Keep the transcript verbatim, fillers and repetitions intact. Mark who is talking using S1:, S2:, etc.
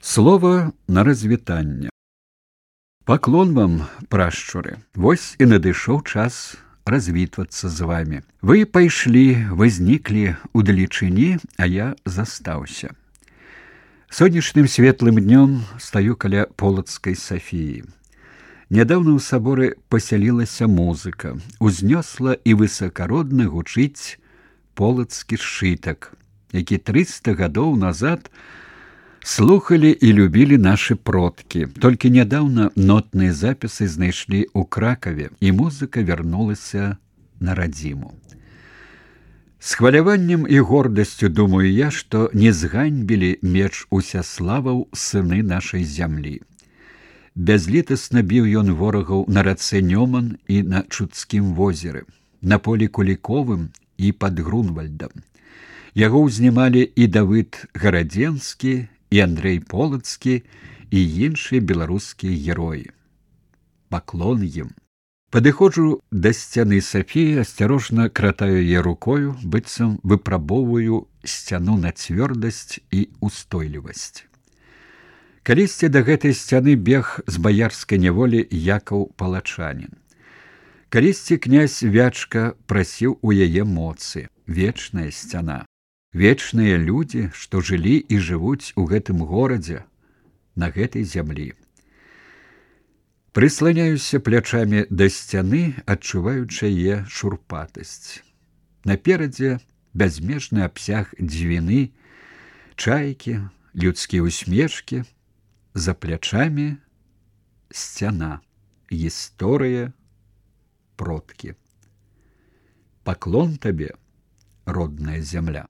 S1: Слова на развітанне. Паклон вам, прашчуры. Вось і надышоў час развітвацца з вами. Вы пайшлі, возніклі удалечыні, а я застаўся. Сонечным светлым днём стаю каля Полацкай Сафіі. Нядаўна ў саборы пасялілася музыка. Узнёсла і высакародна гучыць полацкі сшытак, які трыста гадоў назад слухалі і любілі нашы продкі. Толькі нядаўна нотныя запісы знайшлі ў Кракаве, і музыка вярнулася на радзіму. З хваляваннем і гордасцю думаю я, што не зганьбілі меч Усяславаў сыны нашай зямлі. Бязлітасна біў ён ворагаў на рацэ Нёман і на Чудскім возеры, на полі Куліковым і пад Грунвальдам. Яго ўзнімалі і Давыд Гарадзенскі, і Андрэй Полацкі, і іншыя беларускія героі. Паклон ім. Падыходжу да сцяны Сафіі, асцярожна кратаю яе рукою, быццам выпрабоўваю сцяну на цвёрдасць і устойлівасць. Калісьці да гэтай сцяны бег з баярскай няволі Якаў Палачанін. Калісьці князь Вячка прасіў у яе моцы. Вечная сцяна. Вечныя людзі, што жылі і жывуць у гэтым горадзе, на гэтай зямлі. Прысланяюся плячамі да сцяны, адчуваючы яе шурпатасць. Наперадзе бязмежны абсяг дзвіны, чайкі, людскія усмешкі, за плячамі сцяна, гісторыя, продкі. Паклон табе, родная зямля.